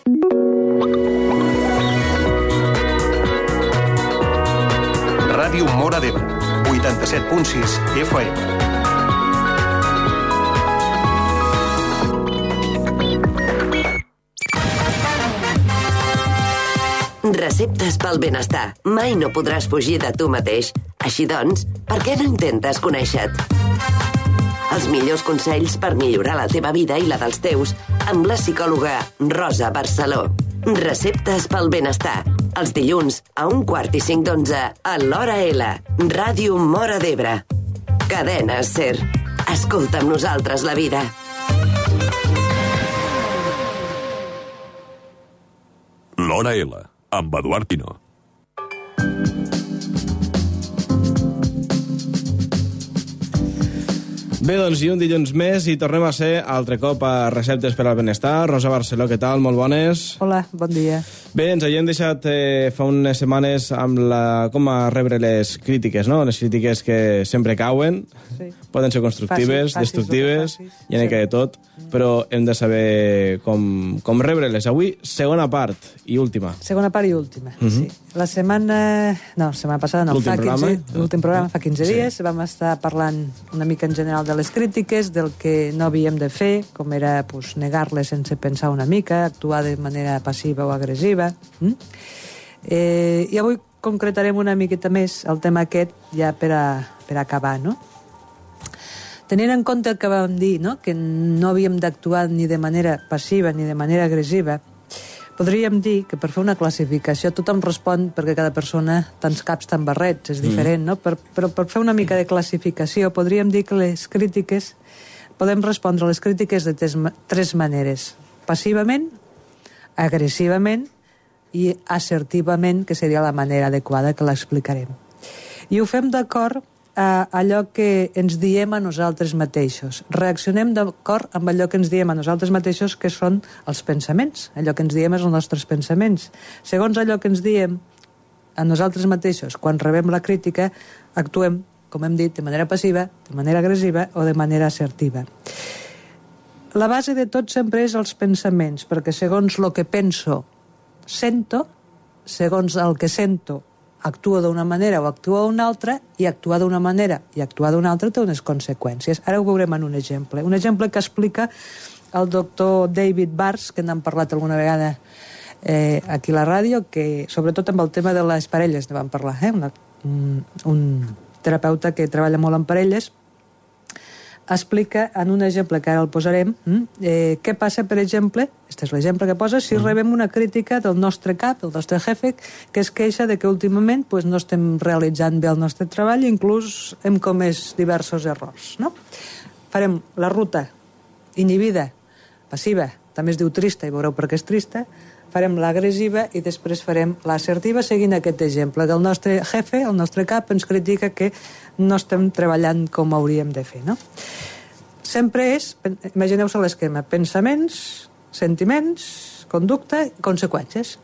Ràdio Móra d'Ebre, 87.6 FM. Receptes pel benestar. Mai no podràs fugir de tu mateix. Així doncs, per què no intentes conèixer-te? Els millors consells per millorar la teva vida i la dels teus amb la psicòloga Rosa Barceló. Receptes pel benestar. Els dilluns a 1:45 a l'Hora L. Ràdio Móra d'Ebre. Cadena SER. Escolta amb nosaltres la vida. L'Hora L, amb Eduard Pino. Bé, doncs, i un dilluns més i tornem a ser altre cop a Receptes per al Benestar. Rosa Barceló, què tal? Molt bones. Hola, bon dia. Bé, ens havíem deixat fa unes setmanes amb com a rebre les crítiques, no? Les crítiques que sempre cauen, sí. Poden ser constructives, destructives, i en de tot, però hem de saber com rebre-les. Avui, segona part i última. Segona part i última, sí. La setmana passada, no, l'últim programa fa 15 dies, vam estar parlant una mica en general de les crítiques, del que no havíem de fer, com era negar-les sense pensar una mica, actuar de manera passiva o agressiva. I avui concretarem una miqueta més el tema aquest, ja per acabar, no? Tenint en compte el que vam dir, no? Que no havíem d'actuar ni de manera passiva ni de manera agressiva, podríem dir que per fer una classificació tothom respon perquè cada persona, tants caps, tants barrets, és diferent, no? Però per fer una mica de classificació podríem dir que les crítiques, podem respondre a les crítiques de tres maneres: passivament, agressivament i assertivament, que seria la manera adequada, que l'explicarem. I ho fem d'acord a allò que ens diem a nosaltres mateixos. Reaccionem d'acord amb allò que ens diem a nosaltres mateixos, que són els pensaments. Allò que ens diem és els nostres pensaments. Segons allò que ens diem a nosaltres mateixos, quan rebem la crítica, actuem, com hem dit, de manera passiva, de manera agressiva o de manera assertiva. La base de tot sempre és els pensaments, perquè segons el que penso, sento, segons el que sento, actua d'una manera o actua d'una altra, i actuar d'una manera i actuar d'una altra té unes conseqüències. Ara ho veurem en un exemple. Un exemple que explica el doctor David Bartz, que n'hem parlat alguna vegada aquí a la ràdio, que sobretot amb el tema de les parelles ne vam parlar, un terapeuta que treballa molt amb parelles, explica en un exemple que ara el posarem què passa, per exemple, este és l'exemple que posa, si rebem una crítica del nostre cap, del nostre jefe, que es queixa de que últimament no estem realitzant bé el nostre treball i inclús hem comès diversos errors, no? Farem la ruta inhibida, passiva, també es diu trista i veureu per què és trista, farem l'agressiva i després farem l'assertiva seguint aquest exemple, que el nostre jefe, el nostre cap, ens critica que no estem treballant com hauríem de fer, no? Sempre és, imagineu-se l'esquema, pensaments, sentiments, conducta i conseqüències.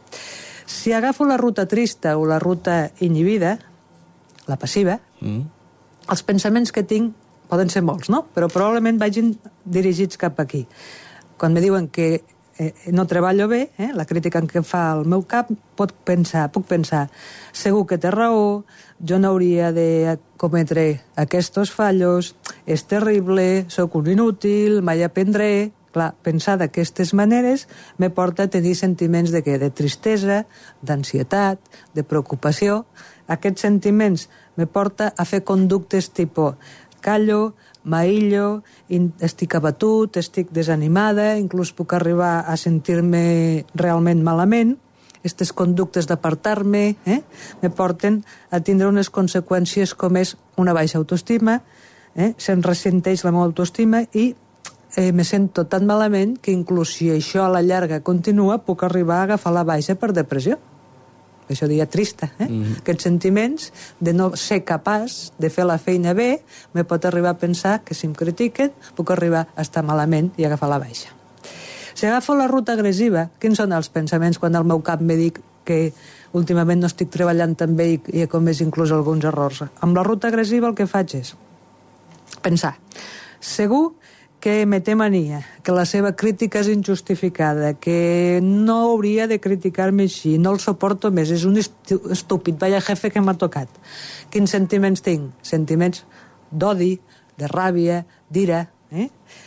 Si agafo la ruta trista o la ruta inhibida, la passiva, els pensaments que tinc poden ser molts, no? Però probablement vagin dirigits cap aquí. Quan me diuen que no treballo bé, la crítica que fa el meu cap, puc pensar, segur que té raó, jo no hauria de cometre aquests fallos, és terrible, sóc un inútil, mai aprendré. Clar, pensar d'aquestes maneres me porta a tenir sentiments de què? De tristesa, d'ansietat, de preocupació. Aquests sentiments me porta a fer conductes tipus callo, m'aïllo, estic abatut, estic desanimada, inclús puc arribar a sentir-me realment malament. Aquestes conductes d'apartar-me me porten a tindre unes conseqüències com és una baixa autoestima, se'm ressenteix la meva autoestima i me sento tan malament que inclús si això a la llarga continua puc arribar a agafar la baixa per depressió. Això diria trista, Aquests sentiments de no ser capaç de fer la feina bé me pot arribar a pensar que si em critiquen puc arribar a estar malament i agafar la baixa. Si agafo la ruta agressiva, quins són els pensaments quan el meu cap me dic que últimament no estic treballant tan bé i he comès inclús alguns errors? Amb la ruta agressiva el que faig és pensar, segur que me té mania, que la seva crítica és injustificada, que no hauria de criticar-me així, no el suporto més, és un estúpid, vaya jefe que m'ha tocat. Quins sentiments tinc? Sentiments d'odi, de ràbia, d'ira.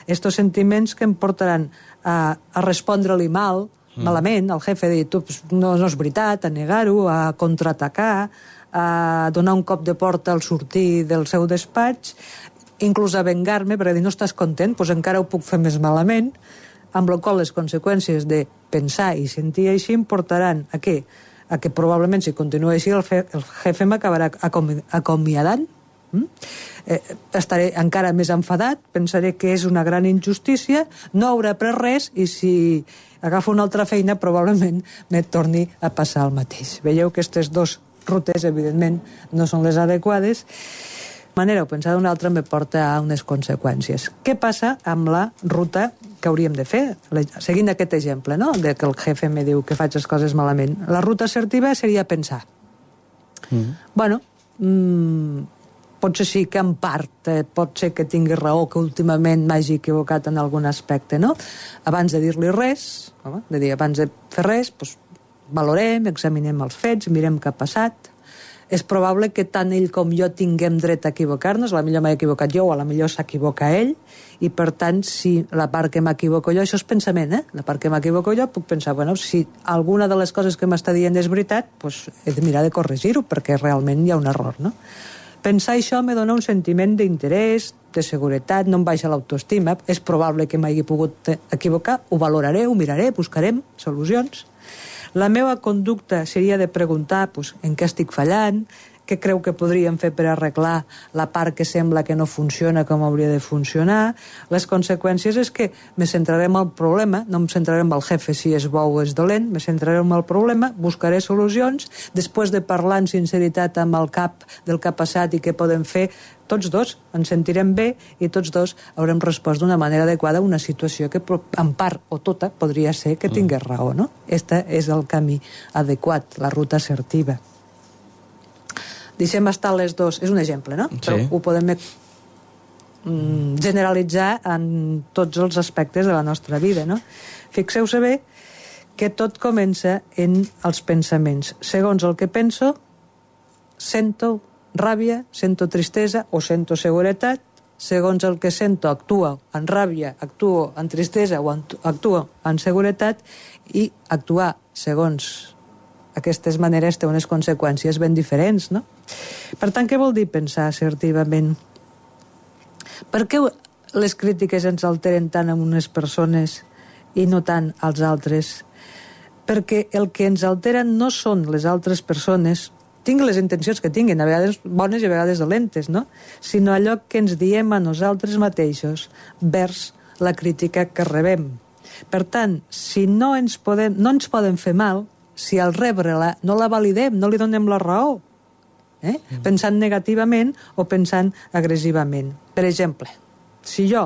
Estos sentiments que em portaran a respondre-li malament, al jefe, de dir, tu, no és veritat, a negar-ho, a contraatacar, a donar un cop de porta al sortir del seu despatx, inclús a vengar-me, perquè dir, no estàs content, doncs encara ho puc fer més malament, amb la qual les conseqüències de pensar i sentir així em portaran a què? A que probablement, si continua així, el jefe m'acabarà acomiadant. Estaré encara més enfadat, pensaré que és una gran injustícia, no hauré après res, i si agafo una altra feina, probablement me torni a passar el mateix. Veieu que aquestes dues rutes, evidentment, no són les adequades. Manera o pensar d'una altra me porta a unes conseqüències. Què passa amb la ruta que hauríem de fer? Seguint aquest exemple, no?, de que el jefe me diu que faig les coses malament. La ruta assertiva seria pensar. Bueno, potser sí que en part pot ser que tingui raó, que últimament m'hagi equivocat en algun aspecte, no? Abans de dir-li res, abans de fer res, doncs valorem, examinem els fets, mirem què ha passat. És probable que tant ell com jo tinguem dret a equivocar-nos, a la millor m'he equivocat jo o a la millor s'equivoca ell, i per tant, si la part que m'equivoco jo, això és pensament, la part que m'equivoco jo, puc pensar, bueno, si alguna de les coses que m'està dient és veritat, doncs he de mirar de corregir-ho, perquè realment hi ha un error, no? Pensar això me dona un sentiment d'interès, de seguretat, no em baixa l'autoestima, és probable que m'hagi pogut equivocar, ho valoraré, ho miraré, buscarem solucions. La meva conducta seria de preguntar en què estic fallant, què creu que podríem fer per arreglar la part que sembla que no funciona com hauria de funcionar. Les conseqüències és que me centraré en el problema, no em centraré en el jefe si és bo o és dolent, me centraré en el problema, buscaré solucions, després de parlar en sinceritat amb el cap del que ha passat i què podem fer, tots dos ens sentirem bé i tots dos haurem respost d'una manera adequada a una situació que en part o tota podria ser que tingués raó, no? Este és el camí adequat, la ruta assertiva. Deixem estar les dos, és un exemple, no? Sí. Però ho podem generalitzar en tots els aspectes de la nostra vida, no? Fixeu-se bé que tot comença en els pensaments. Segons el que penso, sento ràbia, sento tristesa o sento seguretat. Segons el que sento, actuo en ràbia, actuo en tristesa o actuo en seguretat, i actuar segons aquestes maneres té unes conseqüències ben diferents, no? Per tant, què vol dir pensar assertivament? Per què les crítiques ens alteren tant a unes persones i no tant als altres? Perquè el que ens altera no són les altres persones, tinguin les intencions que tinguin, a vegades bones i a vegades dolentes, no? Sinó allò que ens diem a nosaltres mateixos vers la crítica que rebem. Per tant, si no ens poden fer mal, si al rebre-la no la validem, no li donem la raó, pensant negativament o pensant agressivament. Per exemple, si jo,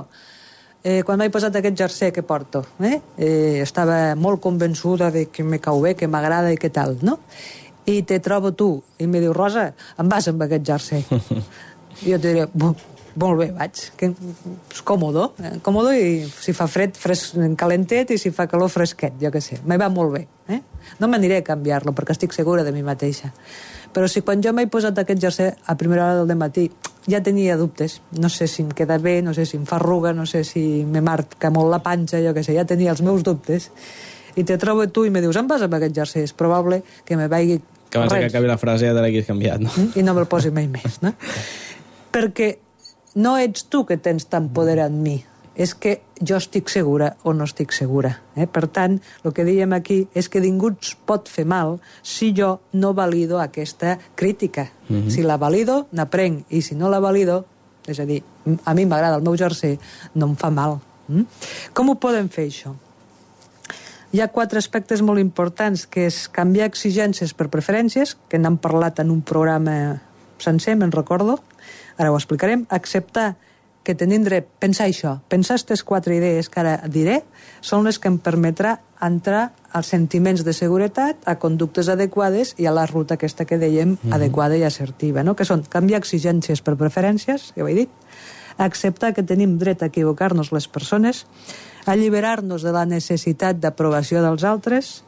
quan m'he posat aquest jersei que porto, estava molt convençuda de que me cau bé, que m'agrada i que tal, no? I te trobo tu i me diu, Rosa, em vas amb aquest jersei. I jo te diré, molt bé, vaig, que és còmodo, còmodo, i si fa fred, calentet, i si fa calor, fresquet, jo què sé, me va molt bé. No m'aniré a canviar-lo, perquè estic segura de mi mateixa. Però si quan jo m'he posat aquest jersei a primera hora del matí ja tenia dubtes, no sé si em queda bé, no sé si em fa arruga, no sé si me marca molt la panxa, jo què sé, ja tenia els meus dubtes, i te trobo tu i me dius, em vas amb aquest jersei, és probable que me vagi... Que abans que acabi la frase ja te l'haguis canviat, no? I no me'l posi mai més, no? Perquè no ets tu que tens tant poder en mi, és que jo estic segura o no estic segura. Per tant, el que diem aquí és que ningú ens pot fer mal si jo no valido aquesta crítica. Si la valido, n'aprenc, i si no la valido, és a dir, a mi m'agrada el meu jersei, no em fa mal. Com ho podem fer, això? Hi ha 4 aspectes molt importants, que és canviar exigències per preferències, que n'hem parlat en un programa sencer, me'n recordo, ara ho explicarem, acceptar que tenim dret, pensar això, pensar aquestes 4 idees que ara diré, són les que em permetrà entrar als sentiments de seguretat, a conductes adequades i a la ruta aquesta que dèiem adequada i assertiva, no? Que són canviar exigències per preferències, ja ho he dit, acceptar que tenim dret a equivocar-nos les persones, alliberar-nos de la necessitat d'aprovació dels altres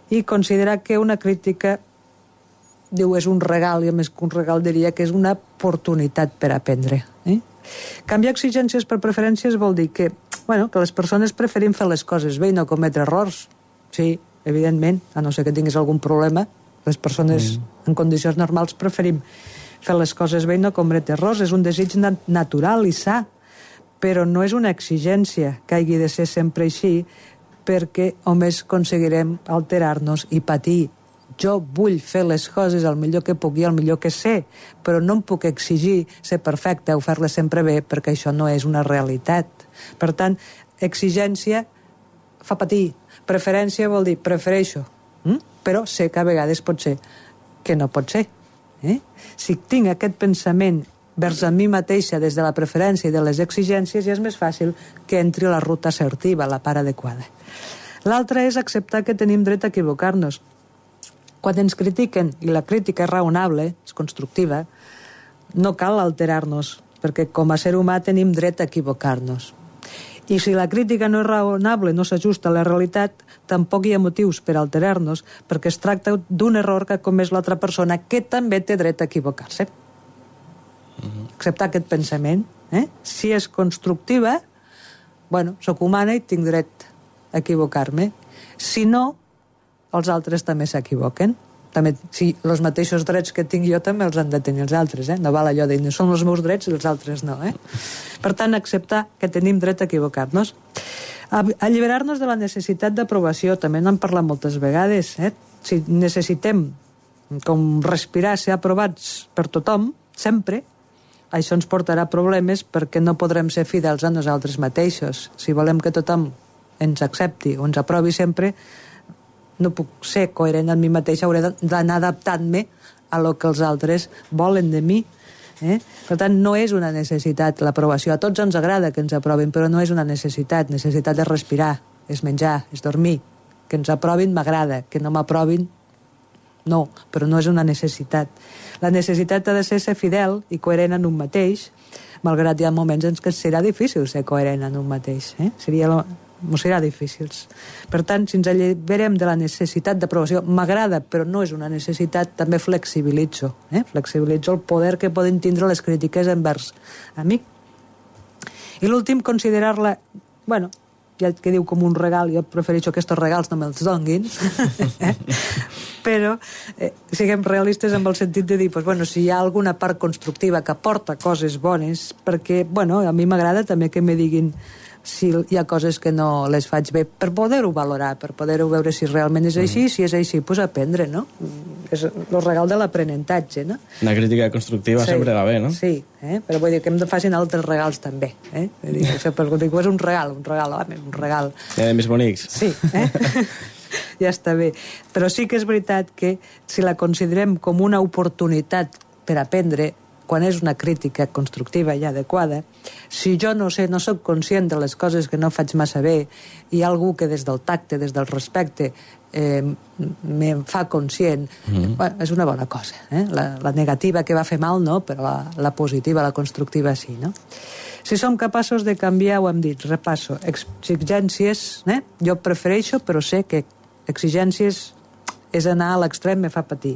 i considerar que una crítica, diu, és un regal, i a més que un regal diria que és una oportunitat per aprendre. Canviar exigències per preferències vol dir que, que les persones preferim fer les coses bé i no cometre errors. Sí, evidentment, a no ser que tinguis algun problema, les persones en condicions normals preferim fer les coses bé i no cometre errors. És un desig natural i sa, però no és una exigència que hagi de ser sempre així, perquè només aconseguirem alterar-nos i patir. Jo vull fer les coses el millor que puc i el millor que sé, però no em puc exigir ser perfecte o fer-les sempre bé, perquè això no és una realitat. Per tant, exigència fa patir. Preferència vol dir prefereixo, però sé que a vegades pot ser que no pot ser. Si tinc aquest pensament vers a mi mateixa des de la preferència i de les exigències, ja és més fàcil que entri a la ruta assertiva, la part adequada. L'altre és acceptar que tenim dret a equivocar-nos. Quan ens critiquen, i la crítica és raonable, és constructiva, no cal alterar-nos, perquè com a ser humà tenim dret a equivocar-nos. I si la crítica no és raonable, no s'ajusta a la realitat, tampoc hi ha motius per alterar-nos, perquè es tracta d'un error que ha comès l'altra persona, que també té dret a equivocar-se. Acceptar aquest pensament. Si és constructiva, soc humana i tinc dret a equivocar-me. Si no, els altres també s'equivoquen. També, si els mateixos drets que tinc jo també els han de tenir els altres. No val allò de dir, són els meus drets i els altres no. Per tant, acceptar que tenim dret a equivocar-nos. Alliberar-nos de la necessitat d'aprovació, també n'hem parlat moltes vegades. Si necessitem com respirar, ser aprovats per tothom, sempre, això ens portarà problemes perquè no podrem ser fidels a nosaltres mateixos. Si volem que tothom ens accepti o ens aprovi sempre, no puc ser coherent amb mi mateixa, hauré d'anar adaptant-me a lo que els altres volen de mi. Per tant, no és una necessitat l'aprovació. A tots ens agrada que ens aprovin, però no és una necessitat. Necessitat és respirar, és menjar, és dormir. Que ens aprovin m'agrada, que no m'aprovin no, però no és una necessitat. La necessitat ha de ser fidel i coherent en un mateix, malgrat hi ha moments en què serà difícil ser coherent en un mateix. Serà difícil. Per tant, si ens alliberem de la necessitat d'aprovació, m'agrada, però no és una necessitat, també flexibilitzo. Flexibilitzo el poder que poden tindre les crítiques envers a mi. I l'últim, considerar-la, ja que diu com un regal, jo prefereixo que aquests regals no me'ls donguin, però siguem realistes en el sentit de dir, si hi ha alguna part constructiva que aporta coses bones, perquè, a mi m'agrada també que me diguin si hi ha coses que no les faig bé, per poder-ho valorar, per poder-ho veure si realment és així, si és així, doncs aprendre, no? És el regal de l'aprenentatge, no? Una crítica constructiva sempre va bé, no? Sí, però vull dir que em facin altres regals també, Vull dir, això per dir, és un regal, home, un regal. Ja de més bonics. Sí, ja està bé. Però sí que és veritat que si la considerem com una oportunitat per aprendre, quan és una crítica constructiva i adequada, si jo no soc conscient de les coses que no faig massa bé, i hi ha algú que des del tacte, des del respecte, me'n fa conscient, és una bona cosa. La negativa que va fer mal no, però la positiva, la constructiva sí. No? Si som capaços de canviar, ho hem dit, repasso, exigències, jo prefereixo, però sé que exigències és anar a l'extrem, me fa patir.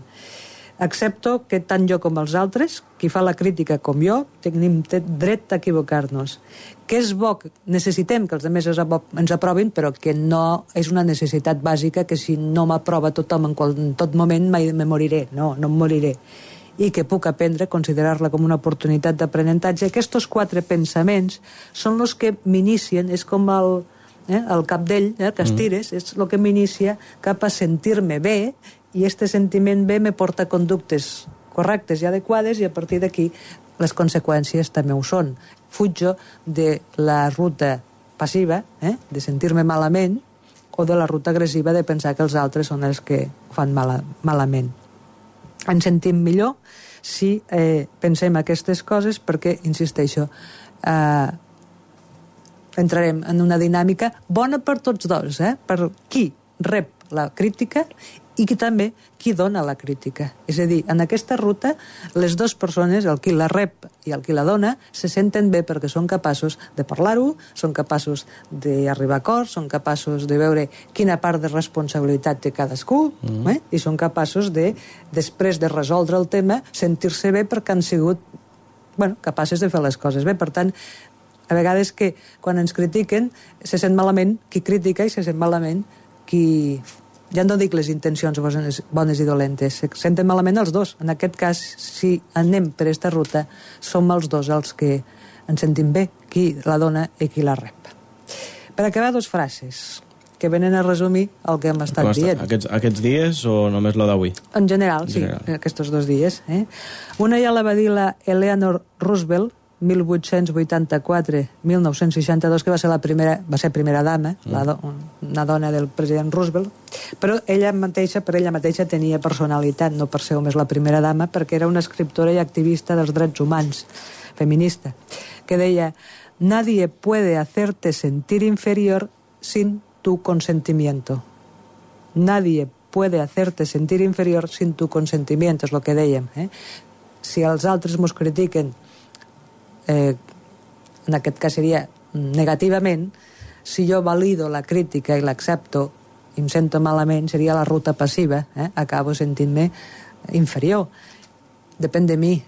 Accepto que tant jo com els altres, qui fa la crítica com jo, tenim dret a equivocar-nos. Que és bo, necessitem que els altres ens aprovin, però que no és una necessitat bàsica, que si no m'aprova tothom en tot moment me moriré. No em moriré. I que puc aprendre, considerar-la com una oportunitat d'aprenentatge. Aquests 4 pensaments són els que m'inicien, és com el capdell que estires, és el que m'inicia cap a sentir-me bé, i este sentiment bé me porta a conductes correctes i adequades, i a partir d'aquí les conseqüències també ho són. Fujo de la ruta passiva, de sentir-me malament, o de la ruta agressiva de pensar que els altres són els que ho fan malament. Ens sentim millor si pensem aquestes coses perquè, insisteixo, entrarem en una dinàmica bona per tots dos, per qui rep la crítica i que també qui dona la crítica. És a dir, en aquesta ruta, les dues persones, el qui la rep i el qui la dona, se senten bé perquè són capaços de parlar-ho, són capaços d'arribar a acords, són capaços de veure quina part de responsabilitat té cadascú, i són capaços de, després de resoldre el tema, sentir-se bé perquè han sigut capaces de fer les coses bé. Per tant, a vegades que quan ens critiquen se sent malament qui critica i se sent malament qui... Ja no dic les intencions bones i dolentes, se senten malament els dos. En aquest cas, si anem per aquesta ruta, som els dos els que ens sentim bé, qui la dona i qui la rep. Per acabar, 2 frases que venen a resumir el que hem estat dient. Aquests dies o només lo d'avui? En general, sí, aquests 2 dies. Una ja la va dir la Eleanor Roosevelt, 1884-1962, que va ser primera dama, una dona del president Roosevelt, però per ella mateixa tenia personalitat, no per ser només la primera dama, perquè era una escriptora i activista dels drets humans, feminista, que deia: nadie puede hacerte sentir inferior sin tu consentimiento. Nadie puede hacerte sentir inferior sin tu consentimiento, és el que dèiem. Si els altres mos critiquen, en aquest cas seria negativament, si jo valido la crítica i l'accepto i em sento malament, seria la ruta passiva, acabo sentint-me inferior. Depèn de mi.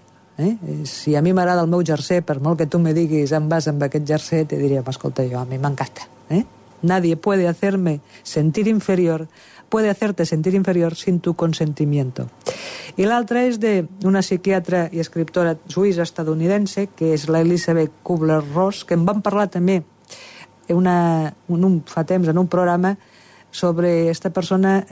Si a mi m'agrada el meu jersey, per molt que tu me diguis em vas amb aquest jersey, te diria, escolta, a mi m'encanta. Nadie puede hacerte sentir inferior sin tu consentimiento. I l'altra és d'una psiquiatra i escriptora suïssa estadounidense, que és la Elizabeth Kubler-Ross, que en vam parlar també fa temps en un programa sobre esta persona.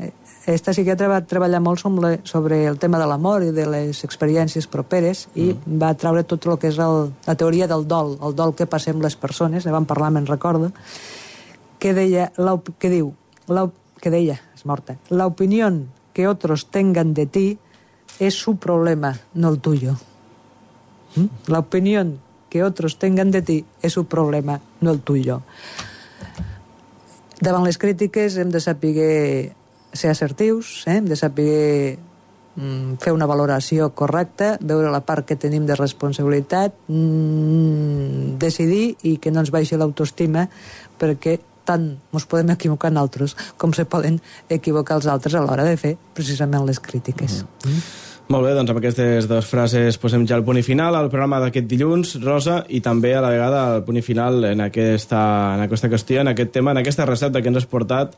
Esta psiquiatra va treballar molt sobre el tema de l'amor i de les experiències properes i va treure tot el que és la teoria del dol, el dol que passem les persones, ne vam parlar, me'n recordo, que deia, és morta, la opinión que otros tengan de ti es su problema, no el tuyo. La opinión que otros tengan de ti es su problema, no el tuyo. Davant les crítiques hem de saber ser assertius, hem de saber fer una valoració correcta, veure la part que tenim de responsabilitat, decidir i que no ens baixi l'autoestima, perquè tant ens podem equivocar nosaltres com se poden equivocar els altres a l'hora de fer precisament les crítiques. Molt bé, doncs amb aquestes 2 frases posem ja el punt i final al programa d'aquest dilluns, Rosa, i també a la vegada el punt i final en aquesta qüestió, en aquest tema, en aquesta recepta que ens has portat,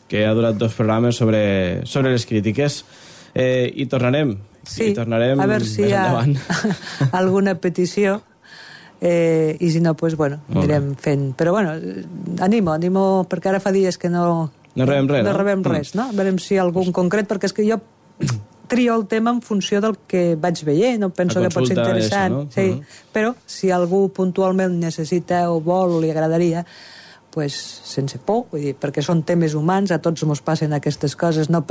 que ha durat 2 programes sobre les crítiques. I tornarem. Sí, a veure si hi ha alguna petició. I si no, doncs, anirem fent. Però, animo, perquè ara fa dies que no rebem res, no? A veure si hi ha algun concret, perquè és que jo trio el tema en funció del que vaig veient, no penso que pot ser interessant. Sí, però si algú puntualment necessita o vol o li agradaria, pues, sense por, vull dir, perquè són temes humans, a tots ens passen aquestes coses, no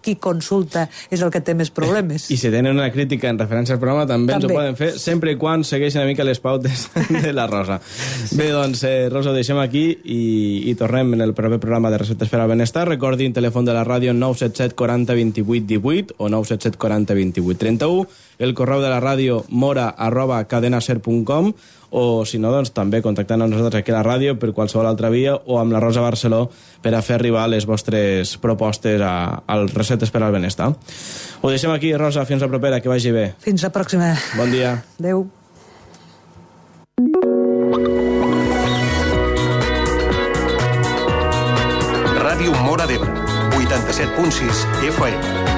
qui consulta és el que té més problemes. I si tenen una crítica en referència al programa també ens ho poden fer, sempre i quan segueixen una mica les pautes de la Rosa. Bé, doncs, Rosa, ho deixem aquí i tornem en el proper programa de Receptes per al Benestar. Recordin, telèfon de la ràdio 977 40 28 18 o 977 40 28 31, el correu de la ràdio mora@cadenaser.com, o si no, doncs també contactant amb nosaltres aquí a la ràdio per qualsevol altra via o amb la Rosa Barceló per a fer arribar les vostres propostes als Receptes per al Benestar. Ho deixem aquí, Rosa, fins la propera, que vagi bé. Fins la pròxima. Bon dia. Adéu. Ràdio Móra d'Ebre, 87.6 FM.